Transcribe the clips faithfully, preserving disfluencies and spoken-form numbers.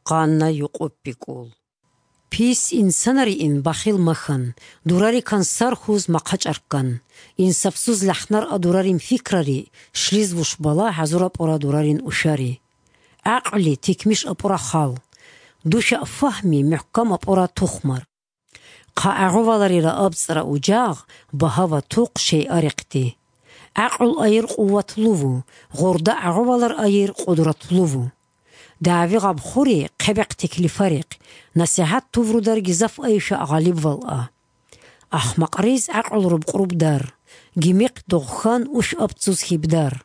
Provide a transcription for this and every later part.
къанна юкъуб бикӀул. Пис инсанариин бахил махьан, дурарикан сархьуз махъачӀарккан, инсапсуз лахнар а дурарин фикрари, шлиз вуш бала гьазур апӀура дурарин ушари. ГӀакълули тикмиш апӀура хал, душа фагьми мухӀкам апӀура тухмар. Хъа агъуваларира абцӀра ужагъ, багьа ва тухъ шей арехъди. ГӀакълу айир къувватлъуву, гъурда агъувалар айир къудратлъуву. Дави гъабхъури хъебехъ теклифарихъ, насихӀат туврудар гизаф айиша гъалибвал а. Ахмакъриз гӀакълу рубкъруб дар, гимихъ догъхан уш абцуз хибдар.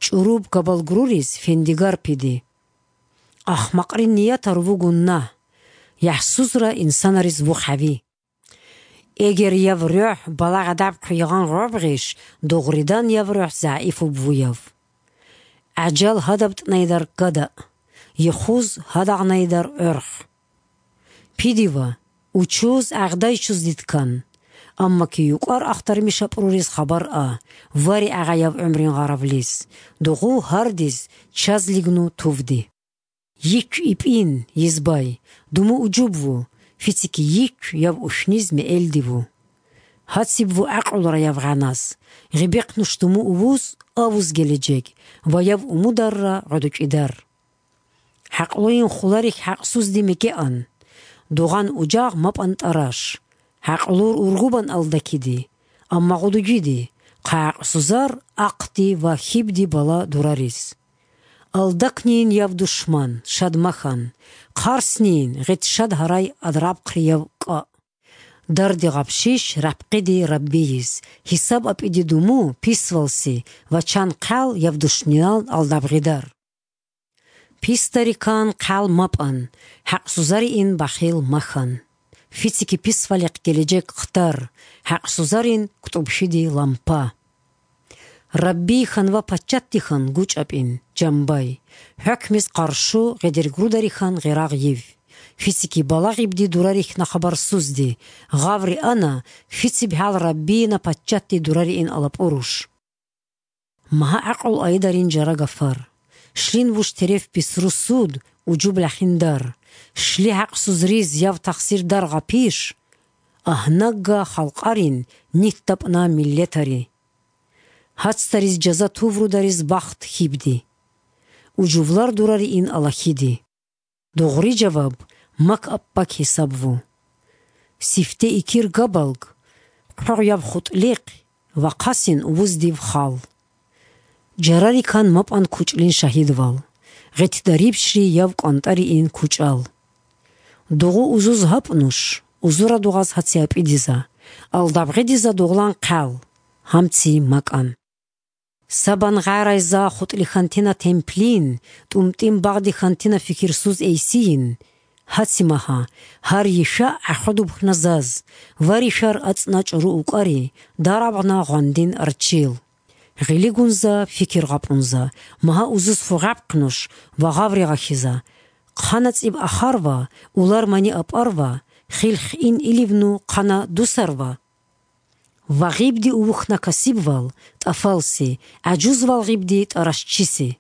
ЧӀуруб габалгруриз фендигар пиди. Ахмакърин ниятар вугун нагь, яхӀсузра инсанариз вухъ гьави. Эгер яв рухӀ балагъадаб хъуйгъан гъобгъиш, дугъридан яв рухӀ загӀифуб вуяв. ГӀажал гьадаб тӀнайдар гада, йихуз гьадагънайдар гӀорхъ. Пидива, учуз гӀагъдайчуз диткан, амма ки юкъар ахтармиш апӀруриз хабар а, вари агъаяв гӀумрин гъаравлис, дугъу гьардиз чазлигну тувди. Йикв ипӀин, йизбай, думу уджубву, фицики йикв яв ушниз меэлдиву. Гьацибву гӀакълура яв гъанас, гъибехъ нуш думу увуз авуз геледжег ва яв умударра гӀодучӀидар. ХӀакълуйин хуларихь хӀакъсузди мекеан, дугъан ужагъ мапӀан тӀараш, гӀакълур ургубан алдакиди, амма гъудугиди, хъа гӀакъсузар ахъди ва хибди бала дурарис. Алдакнийин яв душман, шадмахан, хъарснийин гъит шад гьарай адрабхърияв кӀа. Дарди гъабщищ рапхъиди Раббийис, гьисаб апӀиди думу писвалси ва чан хъал яв душниял алдабгъидар. Писдарикан хъал мапӀан, хӀакъсузариин бахил махьан. Фицики писвалихъ геледжек хтар, хӀакъсузарин кутӀубщиди лампа. Раббийхан ва паччатдихан гучӀапӀин, жамбай, хӀукмиз къаршу гъедергрударихъан гъирагъ йив. Фицики балагъибди дурарихьна хабарсузди, гъаври ана, фициб гьал Раббийина паччатди дурариин алапӀуруш. Магьа гӀакълу айдарин жара гафар, шлин вуш тереф бисру суд, уджуб лахиндар, шли хӀакъсуз риз яв тахсир дар гъапиш, агьнагга халкъарин нитдапӀна миллетари. Гьацдариз жаза туврудариз бахт хибди. Уджувлар дурариин алахиди. Дугъри жаваб мак аппак гьисаб ву. Сифте икир габалг, хъугъ яб хутӀлихъ ва хъасин увуз див хал. Жарарикан мапӀан кучӀлин шагьидвал, гъетдарибщри яв кӀвантӀариин кучӀал. Дугъу узуз гьапӀ нуш, узура дугъаз гьаци апӀидиза, алдабгъидиза дугълан хъал, гьамци макӀан. Сабан гъарайза хутӀли хантина темплин, тӀумтӀин багъди хантина фикирсуз эйсийин. Гьацимагьа, гьар йиша гӀахъудуб хназаз, ва ришар ацӀна чӀуру укӀари, дарабгъна гъвандин арчил. Гъилигунза, фикир гъапунза, магьа узуз фугъабхънуш ва гъаври гъахьиза. Хъана цӀиб ахарва, улар мани апӀарва, хилх ин иливну хъана дусарва. Ва гъибди увухна касибвал, тӀафалси, гӀажузвал гъибди тӀарашчиси.